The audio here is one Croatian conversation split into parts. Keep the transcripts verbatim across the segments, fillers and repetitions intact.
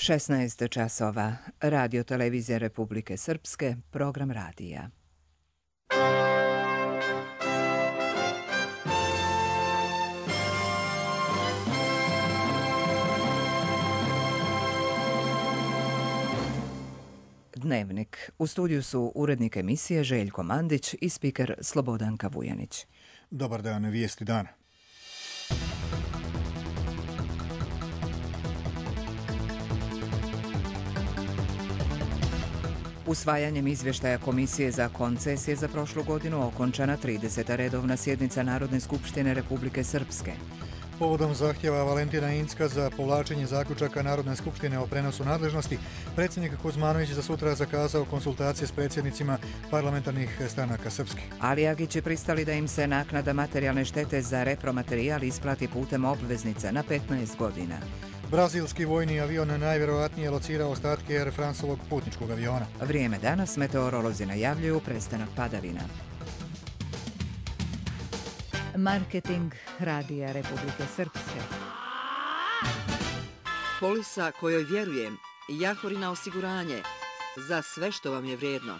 šesnaest časova. Radio Televizija Republike Srpske, program radija. Dnevnik. U studiju su urednik emisije Željko Mandić i spiker Slobodanka Vujanić. Dobar dan, vijesti dana. Usvajanjem izvještaja Komisije za koncesije za prošlu godinu okončana trideseta redovna sjednica Narodne skupštine Republike Srpske. Povodom zahtjeva Valentina Incka za povlačenje zaključaka Narodne skupštine o prenosu nadležnosti, predsjednik Kuzmanović za sutra zakazao konsultacije s predsjednicima parlamentarnih stranaka Srpske. Ali Agić je pristali da im se naknada materijalne štete za repromaterijal isplati putem obveznica na petnaest godina. Brazilski vojni avion najvjerojatnije locirao ostatke Air Franceovog putničkog aviona. Vrijeme danas, meteorolozi najavljuju prestanak padavina. Marketing Radija Republike Srpske. Polisa kojoj vjerujem, Jahorina osiguranje, za sve što vam je vrijedno.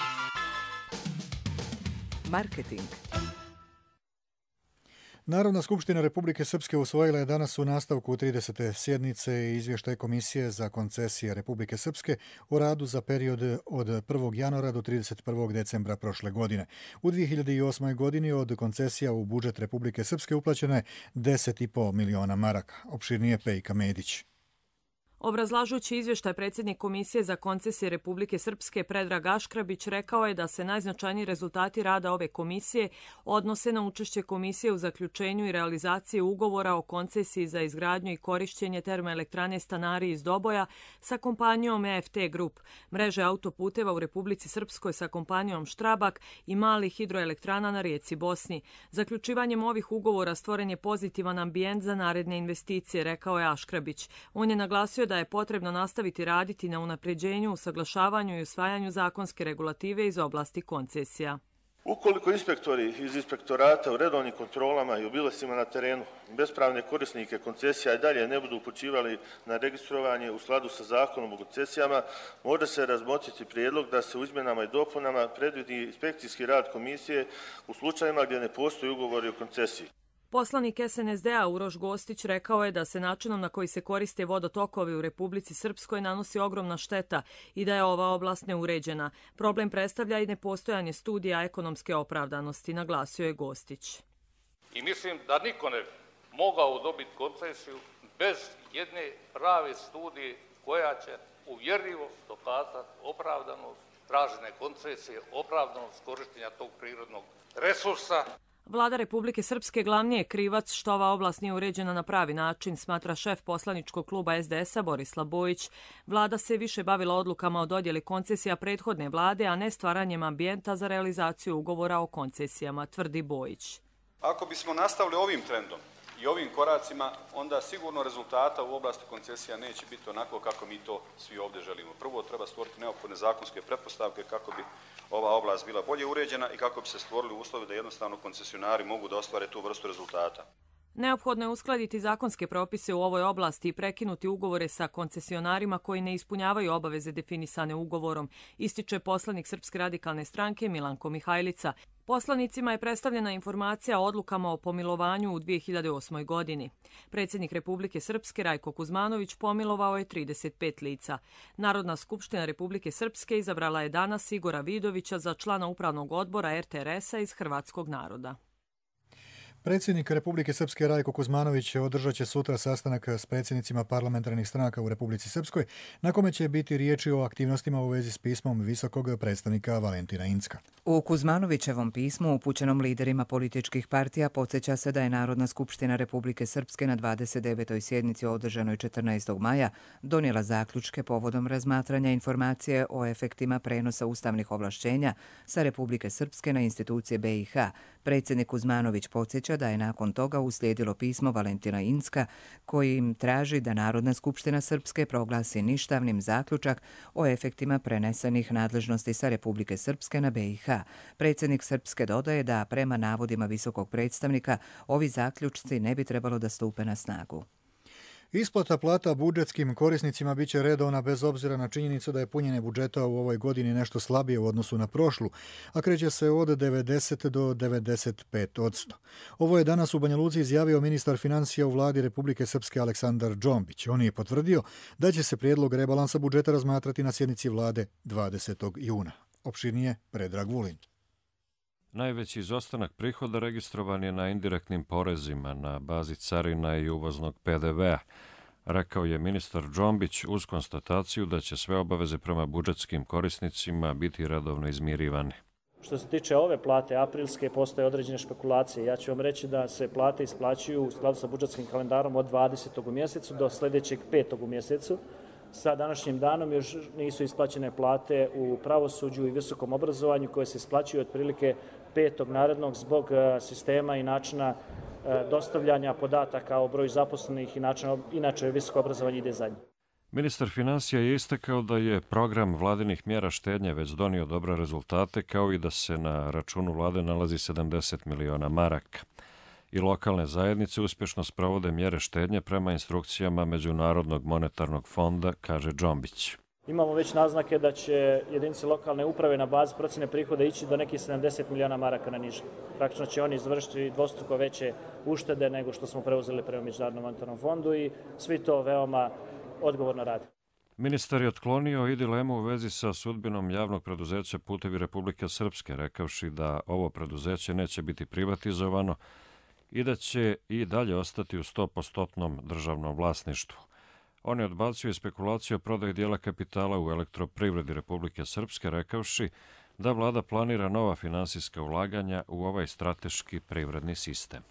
Marketing. Narodna skupština Republike Srpske usvojila je danas u nastavku tridesete sjednice izvještaj Komisije za koncesije Republike Srpske o radu za period od prvog januara do trideset prvog decembra prošle godine. U dvije hiljade osmoj. godini od koncesija u budžet Republike Srpske uplaćeno je deset i po miliona maraka. Opširnije Pejka Medić. Obrazlažući izvještaj, predsjednik Komisije za koncesije Republike Srpske Predrag Aškrabić rekao je da se najznačajniji rezultati rada ove komisije odnose na učešće komisije u zaključenju i realizaciji ugovora o koncesiji za izgradnju i korišćenje termoelektrane Stanari iz Doboja sa kompanijom E F T Group, mreže autoputeva u Republici Srpskoj sa kompanijom Štrabak i malih hidroelektrana na rijeci Bosni. Zaključivanjem ovih ugovora stvoren je pozitivan ambijent za naredne investicije, rekao je Aškrabić. On je naglasio da je potrebno nastaviti raditi na unapređenju, usaglašavanju i usvajanju zakonske regulative iz oblasti koncesija. Ukoliko inspektori iz inspektorata u redovnim kontrolama i obilascima na terenu bespravne korisnike koncesija i dalje ne budu upućivali na registrovanje u skladu sa zakonom o koncesijama, može se razmotriti prijedlog da se u izmjenama i dopunama predvidi inspekcijski rad komisije u slučajevima gdje ne postoji ugovori o koncesiji. Poslanik S N S D-a Uroš Gostić rekao je da se načinom na koji se koriste vodotokovi u Republici Srpskoj nanosi ogromna šteta i da je ova oblast neuređena. Problem predstavlja i nepostojanje studija ekonomske opravdanosti, naglasio je Gostić. I mislim da niko ne mogao dobiti koncesiju bez jedne prave studije koja će uvjerljivo dokazati opravdanost tražene koncesije, opravdanost korištenja tog prirodnog resursa. Vlada Republike Srpske glavni je krivac što ova oblast nije uređena na pravi način, smatra šef poslaničkog kluba S D S-a Borislav Bojić. Vlada se više bavila odlukama o dodjeli koncesija prethodne vlade, a ne stvaranjem ambijenta za realizaciju ugovora o koncesijama, tvrdi Bojić. Ako bismo nastavili ovim trendom i ovim koracima, onda sigurno rezultata u oblasti koncesija neće biti onako kako mi to svi ovdje želimo. Prvo treba stvoriti neophodne zakonske pretpostavke kako bi ova oblast bila bolje uređena i kako bi se stvorili uslovi da jednostavno koncesionari mogu da ostvare tu vrstu rezultata. Neophodno je uskladiti zakonske propise u ovoj oblasti i prekinuti ugovore sa koncesionarima koji ne ispunjavaju obaveze definisane ugovorom, ističe poslanik Srpske radikalne stranke Milanko Mihajlica. Poslanicima je predstavljena informacija o odlukama o pomilovanju u dvije hiljade osmoj. godini. Predsjednik Republike Srpske Rajko Kuzmanović pomilovao je trideset pet lica. Narodna skupština Republike Srpske izabrala je danas Igora Vidovića za člana upravnog odbora R T R S-a iz hrvatskog naroda. Predsjednik Republike Srpske Rajko Kuzmanović održat će sutra sastanak s predsjednicima parlamentarnih stranaka u Republici Srpskoj, na kome će biti riječi o aktivnostima u vezi s pismom visokog predstavnika Valentina Incka. U Kuzmanovićevom pismu upućenom liderima političkih partija podsjeća se da je Narodna skupština Republike Srpske na dvadeset devetoj sjednici održanoj četrnaestog maja donijela zaključke povodom razmatranja informacije o efektima prenosa ustavnih ovlašćenja sa Republike Srpske na institucije B i H. Predsjednik Kuzmanović podsjeća da je nakon toga uslijedilo pismo Valentina Incka kojim traži da Narodna skupština Srpske proglasi ništavnim zaključak o efektima prenesenih nadležnosti sa Republike Srpske na B i H. Predsjednik Srpske dodaje da prema navodima visokog predstavnika ovi zaključci ne bi trebalo da stupe na snagu. Isplata plata budžetskim korisnicima biće redovna bez obzira na činjenicu da je punjenje budžeta u ovoj godini nešto slabije u odnosu na prošlu, a kreće se od devedeset do devedeset pet odsto. Ovo je danas u Banja Luci izjavio ministar financija u vladi Republike Srpske Aleksandar Džombić. On je potvrdio da će se prijedlog rebalansa budžeta razmatrati na sjednici vlade dvadesetog juna. Opširnije Predrag Vulin. Najveći izostanak prihoda registrovan je na indirektnim porezima na bazi carina i uvoznog P D V-a, rekao je ministar Džombić uz konstataciju da će sve obaveze prema budžetskim korisnicima biti redovno izmirivane. Što se tiče ove plate aprilske, postoje određene špekulacije. Ja ću vam reći da se plate isplaćuju u skladu sa budžetskim kalendarom od dvadesetog u mjesecu do sljedećeg petog u mjesecu. Sa današnjim danom još nisu isplaćene plate u pravosuđu i visokom obrazovanju koje se isplaćuju otprilike petog narednog zbog sistema i načina dostavljanja podataka o broju zaposlenih i načina, inače visoko obrazovanje ide zadnje. Ministar financija je istakao da je program vladinih mjera štednje već donio dobre rezultate, kao i da se na računu vlade nalazi sedamdeset miliona maraka. I lokalne zajednice uspješno sprovode mjere štednje prema instrukcijama Međunarodnog monetarnog fonda, kaže Džombić. Imamo već naznake da će jedinice lokalne uprave na bazi procjene prihoda ići do nekih sedamdeset miliona maraka na niže. Praktično će oni izvršiti dvostruko veće uštede nego što smo preuzeli prema Međunarodnom monetarnom fondu i svi to veoma odgovorno rade. Ministar je otklonio i dilemu u vezi sa sudbinom javnog preduzeća Putevi Republike Srpske, rekavši da ovo preduzeće neće biti privatizovano i da će i dalje ostati u sto posto državnom vlasništvu. On je odbacio spekulaciju o prodaji dijela kapitala u Elektroprivredi Republike Srpske, rekavši da vlada planira nova finansijska ulaganja u ovaj strateški privredni sistem.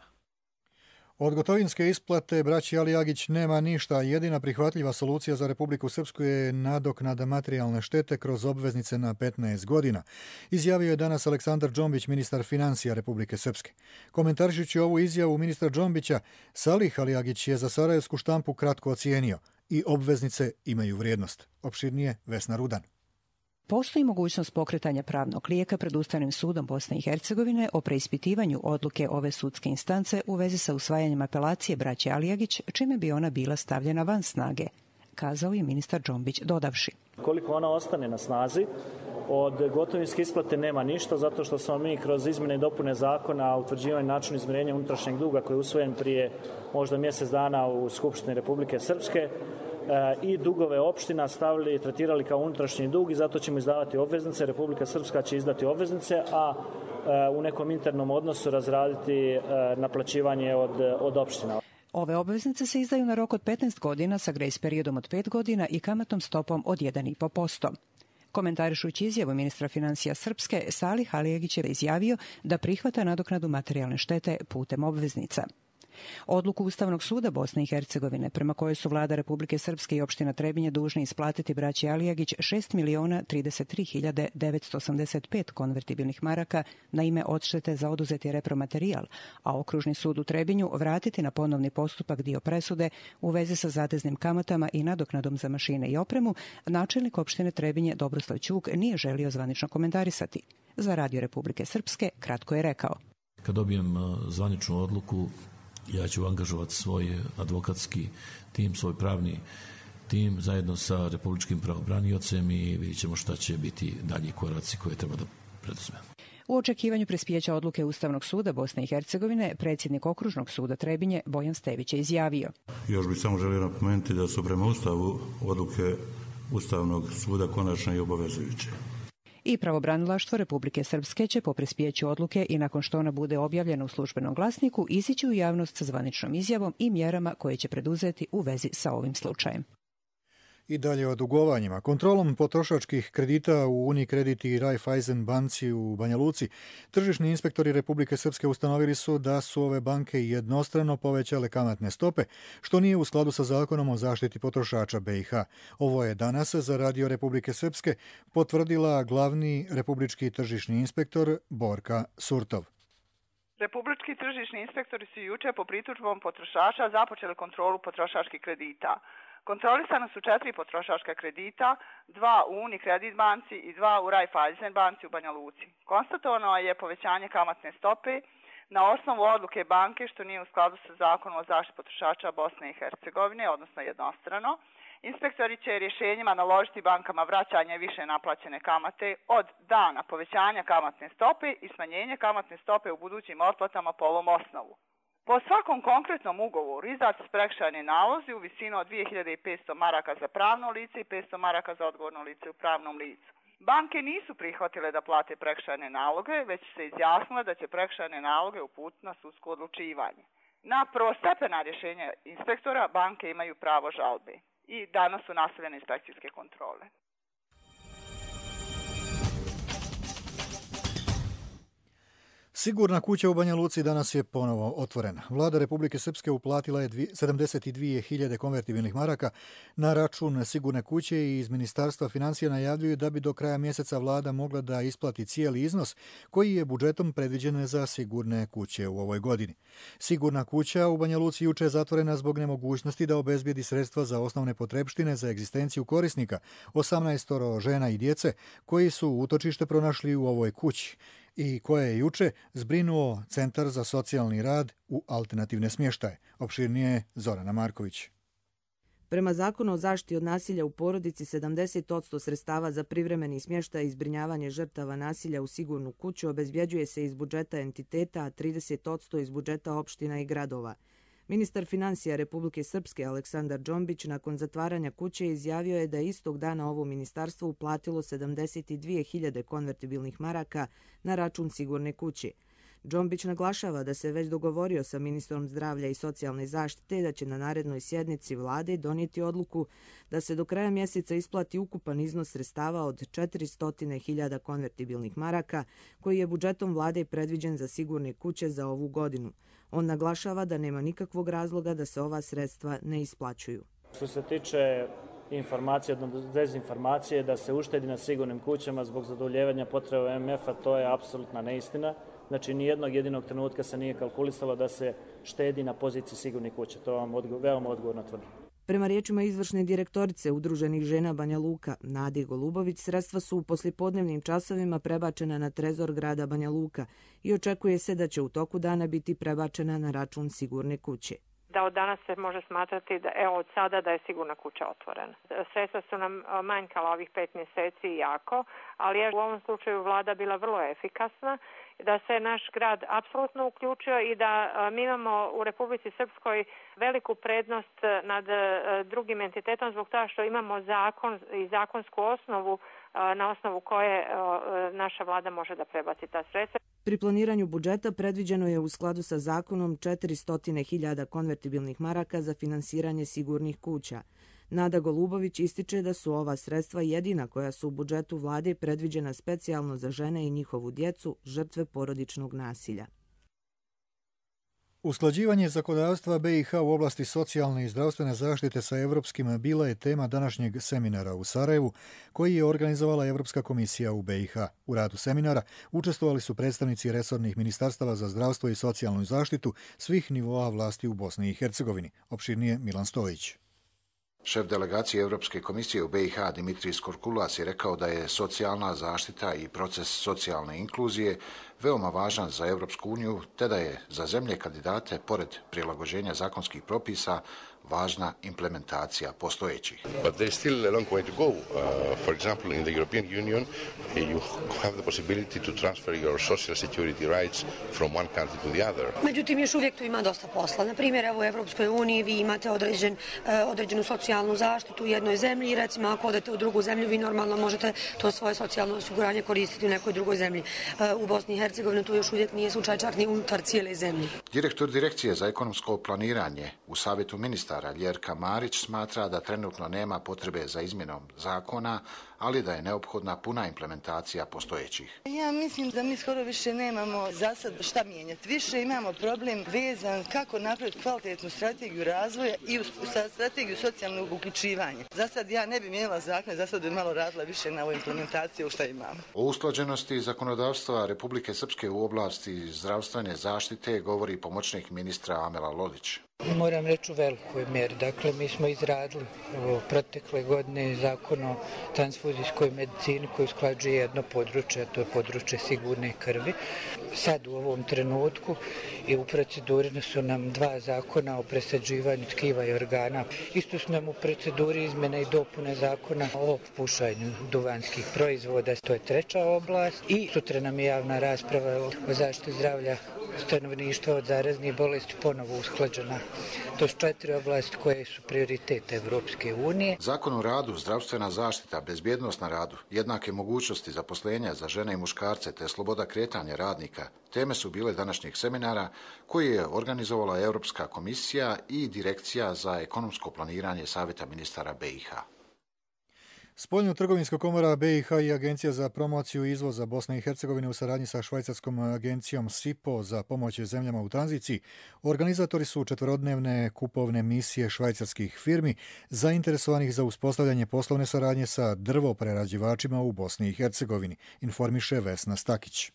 Od gotovinske isplate braći Alijagić nema ništa. Jedina prihvatljiva solucija za Republiku Srpsku je nadoknada materijalne štete kroz obveznice na petnaest godina, izjavio je danas Aleksandar Džombić, ministar financija Republike Srpske. Komentarišući ovu izjavu ministra Džombića, Salih Alijagić je za sarajevsku štampu kratko ocijenio i obveznice imaju vrijednost. Opširnije Vesna Rudan. Postoji mogućnost pokretanja pravnog lijeka pred Ustavnim sudom Bosne i Hercegovine o preispitivanju odluke ove sudske instance u vezi sa usvajanjem apelacije braće Alijagić, čime bi ona bila stavljena van snage, kazao je ministar Džombić dodavši. Koliko ona ostane na snazi, od gotovinske isplate nema ništa, zato što smo mi kroz izmjene i dopune zakona o utvrđivanju načina izmirenja unutrašnjeg duga koji je usvojen prije možda mjesec dana u Skupštini Republike Srpske i dugove opština stavili i tretirali kao unutrašnji dug i zato ćemo izdavati obveznice. Republika Srpska će izdati obveznice, a u nekom internom odnosu razraditi naplaćivanje od, od opština. Ove obveznice se izdaju na rok od petnaest godina sa grace periodom od pet godina i kamatnom stopom od jedan zarez pet posto. Komentarišući izjavu ministra financija Srpske, Salih Alijagić je izjavio da prihvata nadoknadu materijalne štete putem obveznica. Odluku Ustavnog suda Bosne i Hercegovine, prema kojoj su vlada Republike Srpske i opština Trebinje dužni isplatiti braći Alijagić šest miliona trideset tri hiljade devetsto osamdeset pet konvertibilnih maraka na ime odštete za oduzeti repromaterijal, a Okružni sud u Trebinju vratiti na ponovni postupak dio presude u vezi sa zateznim kamatama i nadoknadom za mašine i opremu, načelnik opštine Trebinje Dobroslav Ćuk nije želio zvanično komentarisati. Za Radio Republike Srpske kratko je rekao. Kad dobijem zvaničnu odluku, ja ću angažovati svoj advokatski tim, svoj pravni tim zajedno sa republičkim pravobraniocem i vidjet ćemo šta će biti dalji koraci koje treba da preduzmemo. U očekivanju prispijeća odluke Ustavnog suda Bosne i Hercegovine, predsjednik Okružnog suda Trebinje Bojan Stević je izjavio. Još bih samo želio napomenuti da su prema Ustavu odluke Ustavnog suda konačne i obavezujuće. I pravobranilaštvo Republike Srpske će po prispijeću odluke i nakon što ona bude objavljena u službenom glasniku izići u javnost sa zvaničnom izjavom i mjerama koje će preduzeti u vezi sa ovim slučajem. I dalje o dugovanjima. Kontrolom potrošačkih kredita u Unikredit i Raiffeisen banci u Banja Luci, tržišni inspektori Republike Srpske ustanovili su da su ove banke jednostrano povećale kamatne stope, što nije u skladu sa zakonom o zaštiti potrošača B i H. Ovo je danas za Radio Republike Srpske potvrdila glavni republički tržišni inspektor Borka Surtov. Republički tržišni inspektori su juče po pritužbom potrošača započeli kontrolu potrošačkih kredita. Kontrolisana su četiri potrošačka kredita, dva u Unikredit banci i dva u Raiffeisen banci u Banja Luci. Konstatovano je povećanje kamatne stope Na osnovu odluke banke, što nije u skladu sa zakonom o zaštiti potrošača Bosne i Hercegovine, odnosno jednostrano, inspektori će rješenjima naložiti bankama vraćanje više naplaćene kamate od dana povećanja kamatne stope i smanjenje kamatne stope u budućim otplatama po ovom osnovu. Po svakom konkretnom ugovoru izdati su prekršajni nalozi u visini od dvije hiljade petsto maraka za pravno lice i petsto maraka za odgovorno lice u pravnom licu. Banke nisu prihvatile da plate prekršajne naloge, već se izjasnile da će prekršajne naloge uputiti na sudsko odlučivanje. Na prvostepena rješenja inspektora banke imaju pravo žalbe i danas su nastavljene inspekcijske kontrole. Sigurna kuća u Banja Luci danas je ponovo otvorena. Vlada Republike Srpske uplatila je sedamdeset dvije hiljade konvertibilnih maraka na račun Sigurne kuće i iz Ministarstva financija najavljuju da bi do kraja mjeseca vlada mogla da isplati cijeli iznos koji je budžetom predviđen za Sigurne kuće u ovoj godini. Sigurna kuća u Banja Luci juče je zatvorena zbog nemogućnosti da obezbijedi sredstva za osnovne potrepštine za egzistenciju korisnika, osamnaest žena i djece koji su utočište pronašli u ovoj kući i koje je juče zbrinuo Centar za socijalni rad u alternativne smještaje. Opširnije Zorana Marković. Prema zakonu o zaštiti od nasilja u porodici, sedamdeset posto sredstava za privremeni smještaj i zbrinjavanje žrtava nasilja u Sigurnu kuću obezbjeđuje se iz budžeta entiteta, a trideset posto iz budžeta opština i gradova. Ministar financija Republike Srpske Aleksandar Džombić nakon zatvaranja kuće izjavio je da je istog dana ovo ministarstvo uplatilo sedamdeset dvije hiljade konvertibilnih maraka na račun Sigurne kuće. Džombić naglašava da se već dogovorio sa ministrom zdravlja i socijalne zaštite da će na narednoj sjednici vlade donijeti odluku da se do kraja mjeseca isplati ukupan iznos sredstava od četiristo hiljada konvertibilnih maraka koji je budžetom vlade predviđen za Sigurne kuće za ovu godinu. On naglašava da nema nikakvog razloga da se ova sredstva ne isplaćuju. Što se tiče informacije, odnosno dezinformacije da se uštedi na sigurnim kućama zbog zadovoljevanja potreba M F-a, to je apsolutna neistina. Znači, nijednog jedinog trenutka se nije kalkulisalo da se štedi na poziciji sigurnih kuća. To vam odgo- veoma odgovorno tvrdim. Prema riječima izvršne direktorice Udruženih žena Banja Luka, Nade Golubović, sredstva su u poslijepodnevnim časovima prebačena na trezor grada Banja Luka i očekuje se da će u toku dana biti prebačena na račun Sigurne kuće. Da od danas se može smatrati da evo od sada da je Sigurna kuća otvorena. Sredstva su nam manjkala ovih pet mjeseci jako, ali je u ovom slučaju vlada bila vrlo efikasna, da se naš grad apsolutno uključio i da mi imamo u Republici Srpskoj veliku prednost nad drugim entitetom zbog toga što imamo zakon i zakonsku osnovu na osnovu koje naša vlada može da prebaci ta sredstva. Pri planiranju budžeta predviđeno je u skladu sa zakonom četiristo hiljada konvertibilnih maraka za finansiranje sigurnih kuća. Nada Golubović ističe da su ova sredstva jedina koja su u budžetu vlade predviđena specijalno za žene i njihovu djecu, žrtve porodičnog nasilja. Usklađivanje zakonodavstva B i H u oblasti socijalne i zdravstvene zaštite sa evropskim bila je tema današnjeg seminara u Sarajevu, koji je organizovala Evropska komisija u B i H. U radu seminara učestvovali su predstavnici resornih ministarstava za zdravstvo i socijalnu zaštitu svih nivoa vlasti u Bosni i Hercegovini. Opširnije Milan Stojić. Šef delegacije Europske komisije u B i H Dimitris Korkulas je rekao da je socijalna zaštita i proces socijalne inkluzije veoma važan za Europsku uniju, te da je za zemlje kandidate, pored prilagođenja zakonskih propisa, važna implementacija postojećih. But there is still a long way to go. Uh, for example, in the European Union, you have the possibility to transfer your social security rights from one country to the other. Međutim, još uvijek tu ima dosta posla. Na primjer, evo u Evropskoj uniji vi imate određen, određenu socijalnu zaštitu u jednoj zemlji i recimo ako odete u drugu zemlju, vi normalno možete to svoje socijalno osiguranje koristiti u nekoj drugoj zemlji. U Bosni i Hercegovini tu još uvijek nije slučaj čak ni unutar cijele zemlje. Direktor Direkcije za ekonomsko planiranje u Savjetu ministara Ljerka Marić smatra da trenutno nema potrebe za izmjenom zakona, ali da je neophodna puna implementacija postojećih. Ja mislim da mi skoro više nemamo za sad šta mijenjati. Više imamo problem vezan kako napraviti kvalitetnu strategiju razvoja i strategiju socijalnog uključivanja. Za sad ja ne bi mijenjala zakon, za sad bi malo radila više na ovoj implementaciji u šta imamo. O usklađenosti zakonodavstva Republike Srpske u oblasti zdravstvene zaštite govori pomoćnik ministra Amela Lolić. Moram reći u velikoj mjeri. Dakle, mi smo izradili ovo, protekle godine zakon o transfuzijskoj medicini koji usklađuje jedno područje, a to je područje sigurne krvi. Sad u ovom trenutku i u proceduri su nam dva zakona o presađivanju tkiva i organa. Isto su nam u proceduri izmjene i dopune zakona o pušanju duvanskih proizvoda. To je treća oblast. I sutra nam je javna rasprava o zaštiti zdravlja stanovništva od zaraznih bolesti ponovo usklađena. To su četiri oblasti koje su prioritet Evropske unije. Zakon o radu, zdravstvena zaštita, bezbjednost na radu, jednake mogućnosti zaposlenja za žene i muškarce te sloboda kretanja radnika teme su bile današnjeg seminara koji je organizovala Europska komisija i Direkcija za ekonomsko planiranje Savjeta ministara B i H. Spoljno-trgovinska komora B i H i Agencija za promociju izvoza Bosne i Hercegovine u saradnji sa švajcarskom agencijom S I P O za pomoć zemljama u tranziciji organizatori su četverodnevne kupovne misije švajcarskih firmi zainteresovanih za uspostavljanje poslovne saradnje sa drvoprerađivačima u Bosni i Hercegovini, informiše Vesna Stakić.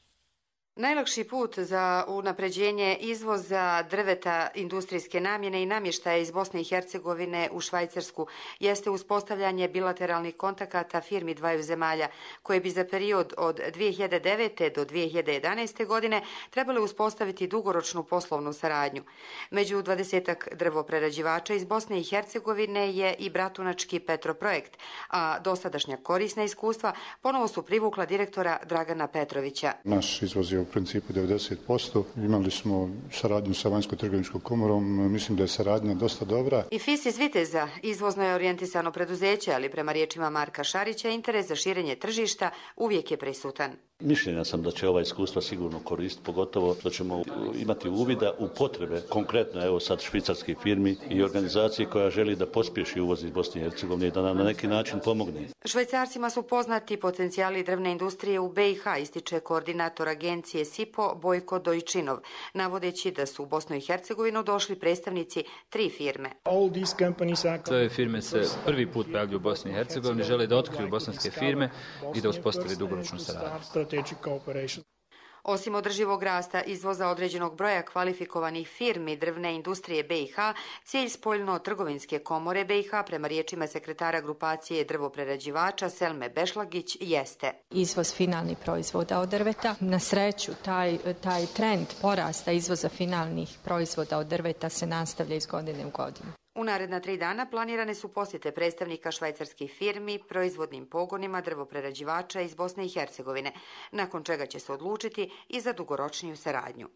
Najlakši put za unapređenje izvoza drveta industrijske namjene i namještaja iz Bosne i Hercegovine u Švajcarsku jeste uspostavljanje bilateralnih kontakata firmi dvaju zemalja, koje bi za period od dvije hiljade devete. do dvije hiljade jedanaeste. godine trebale uspostaviti dugoročnu poslovnu saradnju. Među dvadesetak drvoprerađivača iz Bosne i Hercegovine je i bratunački Petroprojekt, a dosadašnja korisna iskustva ponovo su privukla direktora Dragana Petrovića. Naš izvoz je u principu devedeset posto. Imali smo saradnju sa vanjsko-trgovinskom komorom. Mislim da je saradnja dosta dobra. I F I S iz Viteza izvozno je orijentisano preduzeće, ali prema riječima Marka Šarića interes za širenje tržišta uvijek je prisutan. Mišljenja sam da će ova iskustva sigurno koristiti, pogotovo što ćemo imati uvida u potrebe, konkretno evo sad švicarskih firmi i organizacije koja želi da pospješi uvoz iz Bosne i Hercegovine i da nam na neki način pomogne. Švajcarcima su poznati potencijali drvne industrije u B i H, ističe koordinator agencije S I P O Bojko Dojčinov, navodeći da su u Bosnu i Hercegovinu došli predstavnici tri firme. Sve firme se prvi put pojavljuju u Bosni i Hercegovini, žele da otkriju bosanske firme i da uspostavi dugoročnu saradnju. Osim održivog rasta izvoza određenog broja kvalifikovanih firmi drvne industrije B i H, cilj spoljno-trgovinske komore B i H prema riječima sekretara grupacije drvoprerađivača Selme Bešlagić jeste izvoz finalnih proizvoda od drveta. Na sreću, taj, taj trend porasta izvoza finalnih proizvoda od drveta se nastavlja iz godine u godinu. U naredna tri dana planirane su posjete predstavnika švajcarskih firmi proizvodnim pogonima drvoprerađivača iz Bosne i Hercegovine, nakon čega će se odlučiti i za dugoročniju saradnju.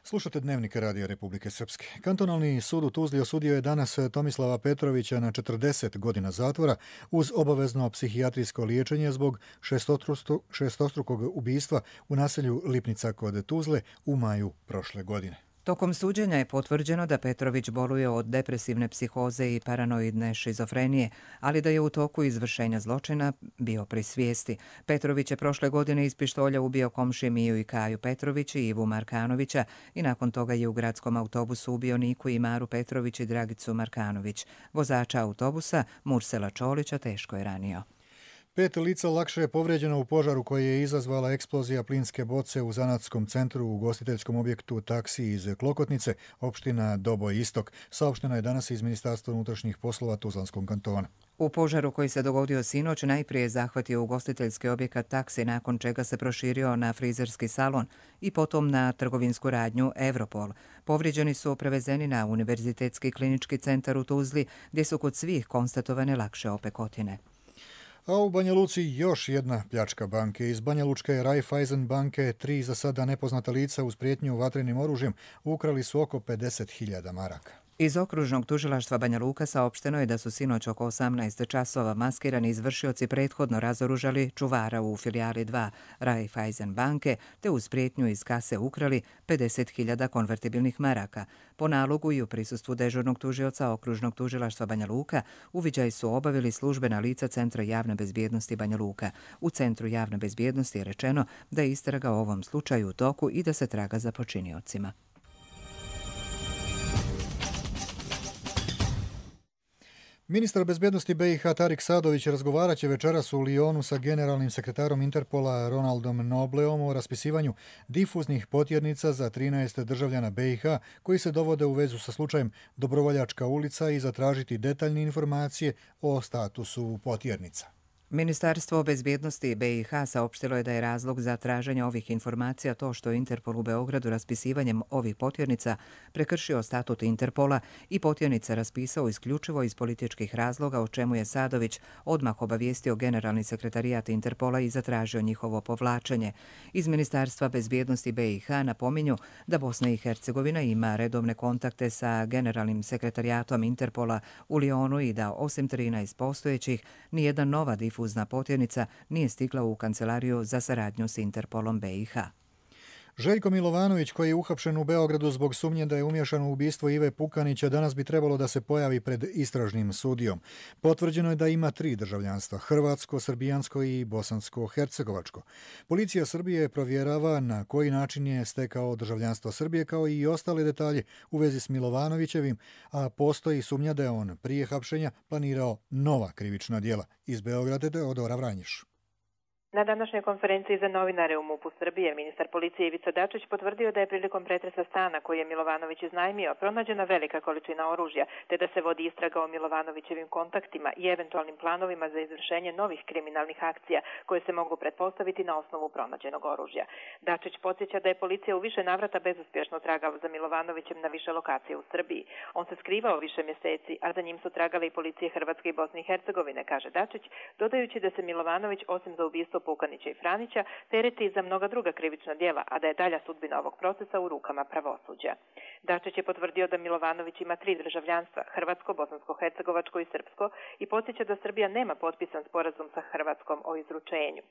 Slušate Dnevnik Radio Republike Srpske. Kantonalni sud u Tuzli osudio je danas Tomislava Petrovića na četrdeset godina zatvora uz obavezno psihijatrijsko liječenje zbog šestostrukog ubistva u naselju Lipnica kod Tuzle u maju prošle godine. Tokom suđenja je potvrđeno da Petrović boluje od depresivne psihoze i paranoidne šizofrenije, ali da je u toku izvršenja zločina bio pri svijesti. Petrović je prošle godine iz pištolja ubio komšije Miju i Kaju Petrović i Ivu Markanovića i nakon toga je u gradskom autobusu ubio Niku i Maru Petrović i Dragicu Markanović. Vozača autobusa Mursela Čolića teško je ranio. Pet lica lakše je povrijeđeno u požaru koji je izazvala eksplozija plinske boce u zanatskom centru u ugostiteljskom objektu Taksi iz Klokotnice, opština Doboj Istok. Saopšteno je danas iz Ministarstva unutrašnjih poslova Tuzlanskog kantona. U požaru koji se dogodio sinoć najprije je zahvatio ugostiteljski objekat Taksi, nakon čega se proširio na frizerski salon i potom na trgovinsku radnju Evropol. Povrijeđeni su prevezeni na Univerzitetski klinički centar u Tuzli, gdje su kod svih konstatovane lakše opekotine. A u Banja Luci još jedna pljačka banke. Iz Banja Lučke Raiffeisen banke tri za sada nepoznata lica uz prijetnju vatrenim oružjem ukrali su oko pedeset hiljada maraka. Iz okružnog tužilaštva Banja Luka saopšteno je da su sinoć oko osamnaest časova maskirani izvršioci prethodno razoružali čuvara u filijali dva Raiffeisen banke te uz prijetnju iz kase ukrali pedeset hiljada konvertibilnih maraka. Po nalogu i u prisustvu dežurnog tužioca okružnog tužilaštva Banja Luka uviđaj su obavili službena lica Centra javne bezbjednosti Banja Luka. U Centru javne bezbjednosti je rečeno da je istraga o ovom slučaju u toku i da se traga za počiniocima. Ministar bezbjednosti B i H Tarik Sadović razgovarat će večeras u Lyonu sa generalnim sekretarom Interpola Ronaldom Nobleom o raspisivanju difuznih potjernica za trinaest državljana B i H koji se dovode u vezu sa slučajem Dobrovoljačka ulica i zatražiti detaljne informacije o statusu potjernica. Ministarstvo bezbjednosti B i H saopštilo je da je razlog za traženje ovih informacija to što je Interpol u Beogradu raspisivanjem ovih potjernica prekršio statut Interpola i potjernice raspisao isključivo iz političkih razloga, o čemu je Sadović odmah obavijestio generalni sekretarijat Interpola i zatražio njihovo povlačenje. Iz Ministarstva bezbjednosti B i H napominju da Bosna i Hercegovina ima redovne kontakte sa generalnim sekretarijatom Interpola u Lyonu i da osim trinaest postojećih, nijedan nova difuzna potjernica nije stigla u kancelariju za saradnju s Interpolom B i H. Željko Milovanović, koji je uhapšen u Beogradu zbog sumnje da je umiješan u ubistvo Ive Pukanića, danas bi trebalo da se pojavi pred istražnim sudijom. Potvrđeno je da ima tri državljanstva, hrvatsko, srbijansko i bosansko-hercegovačko. Policija Srbije provjerava na koji način je stekao državljanstvo Srbije, kao i ostale detalje u vezi s Milovanovićevim, a postoji sumnja da je on prije hapšenja planirao nova krivična djela. Iz Beograda Teodora Vranjiš. Na današnjoj konferenciji za novinare u MUP-u Srbije ministar policije Ivica Dačić potvrdio da je prilikom pretresa stana koji je Milovanović iznajmio pronađena velika količina oružja, te da se vodi istraga o Milovanovićevim kontaktima i eventualnim planovima za izvršenje novih kriminalnih akcija koje se mogu pretpostaviti na osnovu pronađenog oružja. Dačić podsjeća da je policija u više navrata bezuspješno tragala za Milovanovićem na više lokacije u Srbiji. On se skrivao više mjeseci, a za njim su tragale i policije Hrvatske i Bosne i Hercegovine, kaže Dačić, dodajući da se Milovanović osim za ubistvo Pukanića i Franića tereti za mnoga druga krivična djela, a da je dalja sudbina ovog procesa u rukama pravosuđa. Dačić je potvrdio da Milovanović ima tri državljanstva, hrvatsko, bosansko-hercegovačko i srpsko, i podsjeća da Srbija nema potpisan sporazum sa Hrvatskom o izručenju.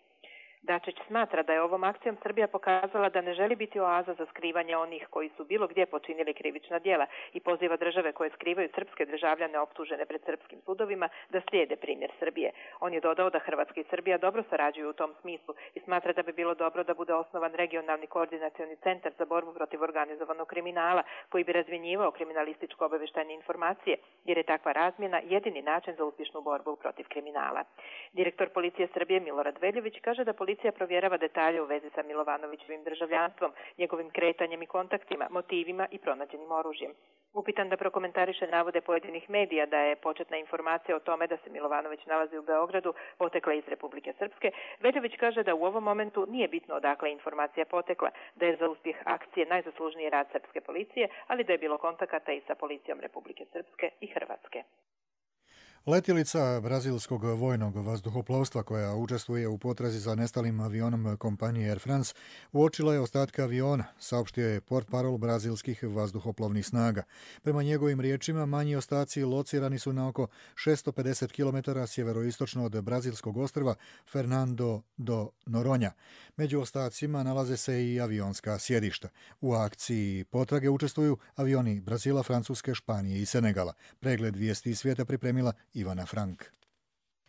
Dačić smatra da je ovom akcijom Srbija pokazala da ne želi biti oaza za skrivanje onih koji su bilo gdje počinili krivična djela i poziva države koje skrivaju srpske državljane optužene pred srpskim sudovima da slijede primjer Srbije. On je dodao da Hrvatska i Srbija dobro sarađuju u tom smislu i smatra da bi bilo dobro da bude osnovan regionalni koordinacioni centar za borbu protiv organizovanog kriminala koji bi razmjenjivao kriminalističko-obavještajne informacije, jer je takva razmjena jedini način za uspješnu borbu protiv kriminala. Direktor policije Srbije Milorad Veljović kaže da policija Policija provjerava detalje u vezi sa Milovanovićevim državljanstvom, njegovim kretanjem i kontaktima, motivima i pronađenim oružjem. Upitan da prokomentariše navode pojedinih medija da je početna informacija o tome da se Milovanović nalazi u Beogradu potekla iz Republike Srpske, Veljović kaže da u ovom momentu nije bitno odakle informacija potekla, da je za uspjeh akcije najzaslužniji rad srpske policije, ali da je bilo kontakata i sa policijom Republike Srpske i Hrvatske. Letjelica brazilskog vojnog vazduhoplovstva koja učestvuje u potrazi za nestalim avionom kompanije Air France uočila je ostatke aviona, saopštio je portparol brazilskih vazduhoplovnih snaga. Prema njegovim riječima, manji ostaci locirani su na oko šesto pedeset kilometara sjeveroistočno od brazilskog ostrva Fernando do Noronha. Među ostacima nalaze se i avionska sjedišta. U akciji potrage učestvuju avioni Brazila, Francuske, Španije i Senegala. Pregled vijesti svijeta pripremila Ivana Frank.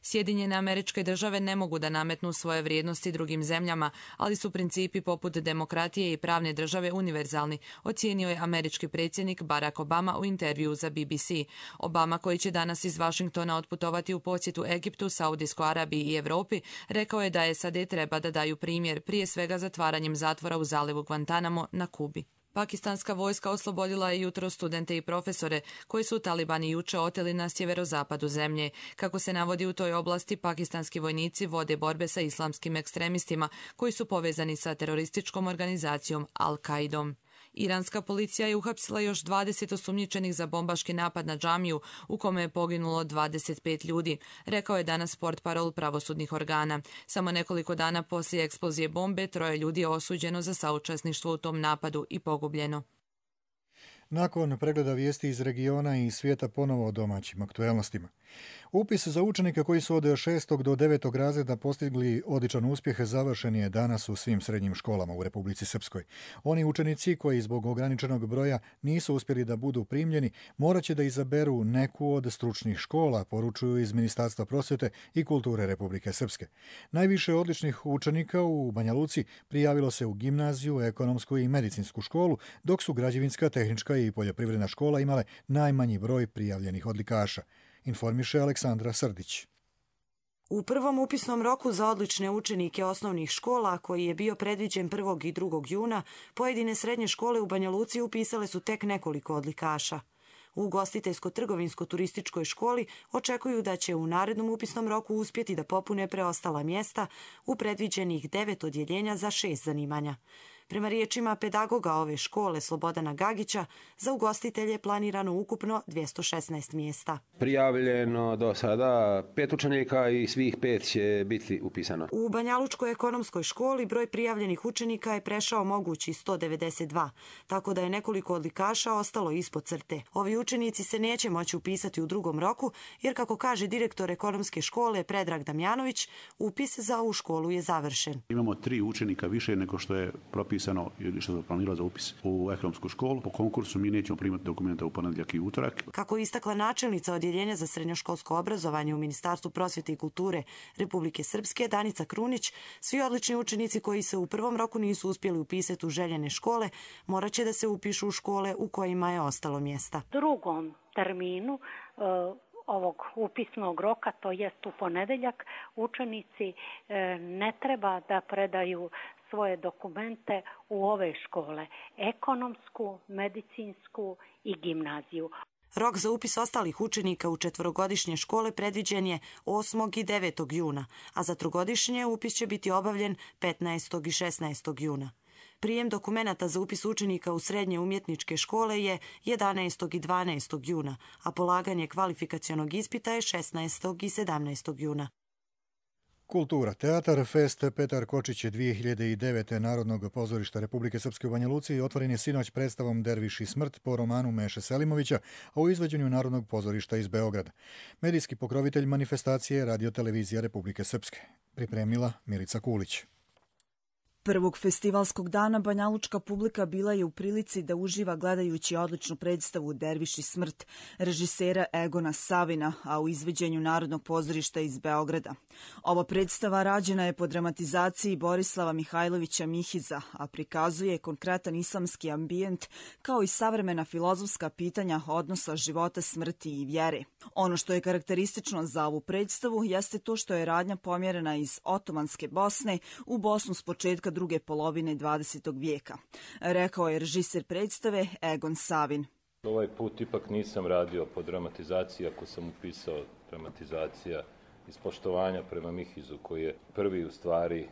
Sjedinjene Američke Države ne mogu da nametnu svoje vrijednosti drugim zemljama, ali su principi poput demokratije i pravne države univerzalni, ocijenio je američki predsjednik Barack Obama u intervjuu za B B C. Obama, koji će danas iz Vašingtona otputovati u posjetu Egiptu, Saudijskoj Arabiji i Europi, rekao je da S A D treba da daju primjer, prije svega zatvaranjem zatvora u zalivu Guantanamo na Kubi. Pakistanska vojska oslobodila je jutro studente i profesore koji su talibani juče oteli na sjeverozapadu zemlje. Kako se navodi u toj oblasti, pakistanski vojnici vode borbe sa islamskim ekstremistima koji su povezani sa terorističkom organizacijom Al-Qaidom. Iranska policija je uhapsila još dvadeset osumnjičenih za bombaški napad na džamiju u kome je poginulo dvadeset pet ljudi, rekao je danas portparol pravosudnih organa. Samo nekoliko dana poslije eksplozije bombe troje ljudi je osuđeno za saučesništvo u tom napadu i pogubljeno. Nakon pregleda vijesti iz regiona i svijeta ponovo o domaćim aktuelnostima. Upis za učenike koji su od šestog do devetog razreda postigli odličan uspjeh završen je danas u svim srednjim školama u Republici Srpskoj. Oni učenici koji zbog ograničenog broja nisu uspjeli da budu primljeni, morat će da izaberu neku od stručnih škola, poručuju iz Ministarstva prosvjete i kulture Republike Srpske. Najviše odličnih učenika u Banja Luci prijavilo se u gimnaziju, ekonomsku i medicinsku školu, dok su građevinska, tehnička tehnička i poljoprivredna škola imale najmanji broj prijavljenih odlikaša, informiše Aleksandra Srdić. U prvom upisnom roku za odlične učenike osnovnih škola, koji je bio predviđen prvog i drugog juna, pojedine srednje škole u Banja Luci upisale su tek nekoliko odlikaša. U ugostiteljsko-trgovinsko-turističkoj školi očekuju da će u narednom upisnom roku uspjeti da popune preostala mjesta u predviđenih devet odjeljenja za šest zanimanja. Prema riječima pedagoga ove škole Slobodana Gagića, za ugostitelje je planirano ukupno dvjesto šesnaest mjesta. Prijavljeno do sada pet učenika i svih pet će biti upisano. U Banjalučkoj ekonomskoj školi broj prijavljenih učenika je prešao mogući sto devedeset dva, tako da je nekoliko odlikaša ostalo ispod crte. Ovi učenici se neće moći upisati u drugom roku, jer kako kaže direktor ekonomske škole Predrag Damjanović, upis za ovu školu je završen. Imamo tri učenika više nego što je propisano ili što je planirano za upis u ekonomsku školu. Po konkursu mi nećemo primati dokumenta u ponedjeljak i utorak. Kako istakla načelnica odjeljenja za srednjoškolsko obrazovanje u Ministarstvu prosvjete i kulture Republike Srpske Danica Krunić, svi odlični učenici koji se u prvom roku nisu uspjeli upisati u željene škole morat će da se upišu u škole u kojima je ostalo mjesta. Drugom terminu uh... ovog upisnog roka, to jest u ponedjeljak, učenici ne treba da predaju svoje dokumente u ove škole, ekonomsku, medicinsku i gimnaziju. Rok za upis ostalih učenika u četvorogodišnje škole predviđen je osmog i devetog juna, a za trogodišnje upis će biti obavljen petnaestog i šesnaestog juna. Prijem dokumenata za upis učenika u srednje umjetničke škole je jedanaestog i dvanaestog juna, a polaganje kvalifikacionog ispita je šesnaestog i sedamnaestog juna. Kultura, teatar, fest Petar Kočić dvije hiljade devete Narodnog pozorišta Republike Srpske u Banja Luci otvoren je sinoć predstavom Derviš i smrt po romanu Meše Selimovića, a u izvođenju Narodnog pozorišta iz Beograda. Medijski pokrovitelj manifestacije je Radio-televizija Republike Srpske. Pripremila Milica Kulić. Prvog festivalskog dana banjalučka publika bila je u prilici da uživa gledajući odličnu predstavu Derviš i smrt režisera Egona Savina, a u izvođenju Narodnog pozorišta iz Beograda. Ova predstava rađena je po dramatizaciji Borislava Mihajlovića Mihiza, a prikazuje konkretan islamski ambijent kao i savremena filozofska pitanja odnosa života, smrti i vjere. Ono što je karakteristično za ovu predstavu jeste to što je radnja pomjerena iz otomanske Bosne u Bosnu s početka druge polovine dvadesetog vijeka, rekao je režiser predstave Egon Savin. Ovaj put ipak nisam radio po dramatizaciji, ako sam upisao dramatizacija iz poštovanja prema Mihizu, koji je prvi u stvari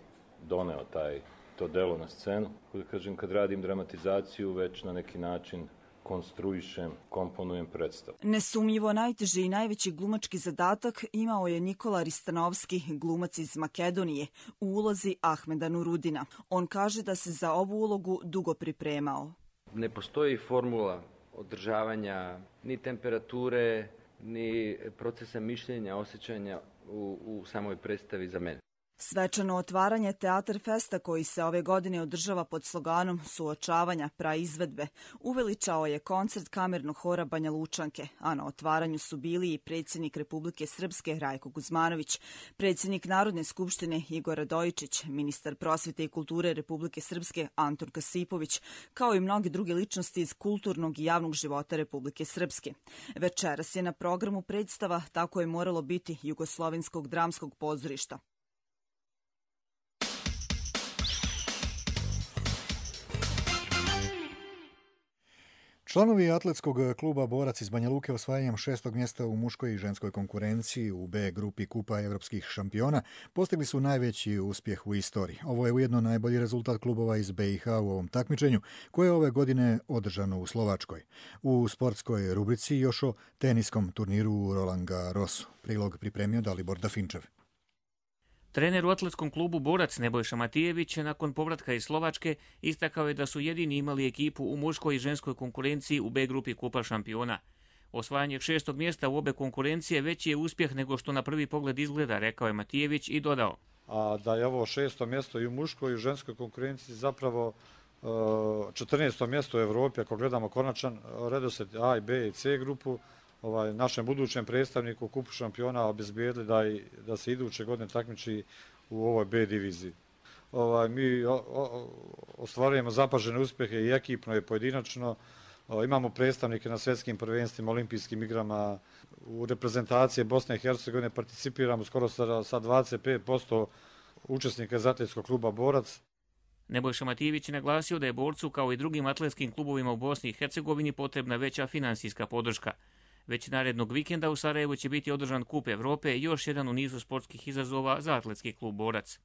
doneo taj, to delo na scenu. Da kažem, kad radim dramatizaciju, već na neki način konstruišem, komponujem predstavu. Nesumnjivo najteži i najveći glumački zadatak imao je Nikola Ristanovski, glumac iz Makedonije, u ulozi Ahmeda Nurudina. On kaže da se za ovu ulogu dugo pripremao. Ne postoji formula održavanja ni temperature, ni procesa mišljenja, osjećanja u, u samoj predstavi za mene. Svečano otvaranje Teatar Festa, koji se ove godine održava pod sloganom suočavanja praizvedbe, uveličao je koncert kamernog hora Banja Lučanke, a na otvaranju su bili i predsjednik Republike Srpske Rajko Guzmanović, predsjednik Narodne skupštine Igor Radojičić, ministar prosvjete i kulture Republike Srpske Anton Kasipović, kao i mnoge druge ličnosti iz kulturnog i javnog života Republike Srpske. Večeras je na programu predstava Tako je moralo biti Jugoslovenskog dramskog pozorišta. Članovi atletskog kluba Borac iz Banja Luke osvajanjem šestog mjesta u muškoj i ženskoj konkurenciji u B grupi Kupa evropskih šampiona postigli su najveći uspjeh u istoriji. Ovo je ujedno najbolji rezultat klubova iz B i H u ovom takmičenju, koje je ove godine održano u Slovačkoj. U sportskoj rubrici još o teniskom turniru u Roland Garrosu. Prilog pripremio Dalibor Dafinčev. Trener u atletskom klubu Borac Nebojša Matijević nakon povratka iz Slovačke istakao je da su jedini imali ekipu u muškoj i ženskoj konkurenciji u B grupi Kupa šampiona. Osvajanje šestog mjesta u obe konkurencije veći je uspjeh nego što na prvi pogled izgleda, rekao je Matijević i dodao. A da je ovo šesto mjesto i u muškoj i u ženskoj konkurenciji zapravo četrnaesto mjesto u Evropi, ako gledamo konačan redoslijed A i B i C grupu, ovaj, našem budućem predstavniku Kupu šampiona obezbijedili da, i, da se iduće godine takmiči u ovoj B diviziji. Ovaj, mi o, o, ostvarujemo zapažene uspjehe i ekipno i pojedinačno. Imamo predstavnike na svjetskim prvenstvima, olimpijskim igrama, u reprezentacije Bosne i Hercegovine participiramo skoro sa, sa dvadeset pet posto učesnika iz atletskog kluba Borac. Nebojša Matijević je naglasio da je borcu kao i drugim atletskim klubovima u Bosni i Hercegovini potrebna veća finansijska podrška. Već narednog vikenda u Sarajevu će biti održan Kup Evrope, još jedan u nizu sportskih izazova za atletski klub Borac.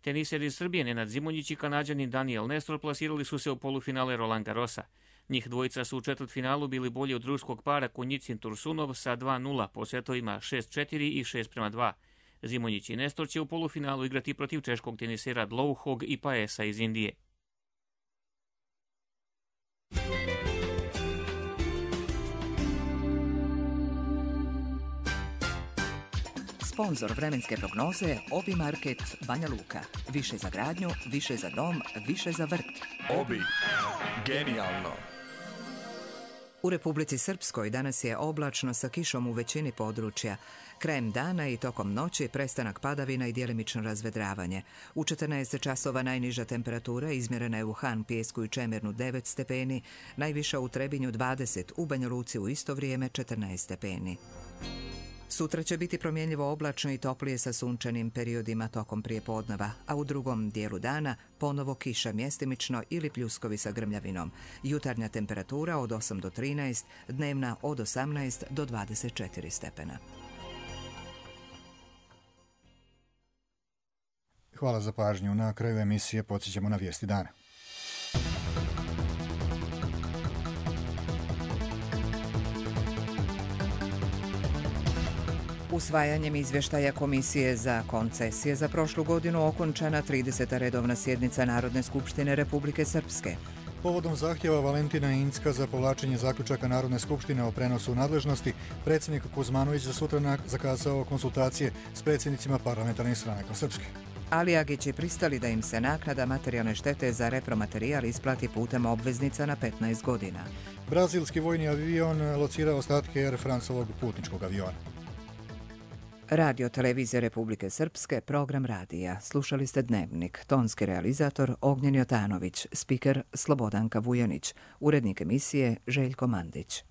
Teniseri iz Srbije Nenad Zimonjić i Kanađanin Daniel Nestor plasirali su se u polufinale Roland Garrosa. Njih dvojica su u četvrtfinalu bili bolji od ruskog para Kunjicin Tursunov sa dva nula po setovima šest četiri i šest prema dva. Zimonjić i Nestor će u polufinalu igrati protiv češkog tenisera Dlouhog i Paesa iz Indije. Sponzor vremenske prognoze Obi Market Banja Luka. Više za gradnju, više za dom, više za vrt. Obi. Genijalno. U Republici Srpskoj danas je oblačno sa kišom u većini područja. Krajem dana i tokom noći prestanak padavina i djelimično razvedravanje. U četrnaest časova najniža temperatura izmjerena je u Han, Pijesku i Čemernu devet stepeni, najviša u Trebinju dvadeset, u Banja Luci u isto vrijeme četrnaest stepeni. Sutra će biti promjenljivo oblačno i toplije sa sunčanim periodima tokom prijepodneva, a u drugom dijelu dana ponovo kiša mjestimično ili pljuskovi sa grmljavinom. Jutarnja temperatura od osam do trinaest, dnevna od osamnaest do dvadeset četiri stepena. Hvala za pažnju. Na kraju emisije podsjećamo na vijesti dana. Usvajanjem izvještaja Komisije za koncesije za prošlu godinu okončana trideseta redovna sjednica Narodne skupštine Republike Srpske. Povodom zahtjeva Valentina Incka za povlačenje zaključaka Narodne skupštine o prenosu nadležnosti, predsjednik Kuzmanović za sutra zakazao konsultacije s predsjednicima parlamentarnih stranaka Srpske. Ali Agići pristali da im se naknada materijalne štete za repromaterijal isplati putem obveznica na petnaest godina. Brazilski vojni avion locirao ostatke Air Francovog putničkog aviona. Radio Televizije Republike Srpske, program radija. Slušali ste Dnevnik. Tonski realizator Ognjen Jotanović, spiker Slobodanka Vujanić, urednik emisije Željko Mandić.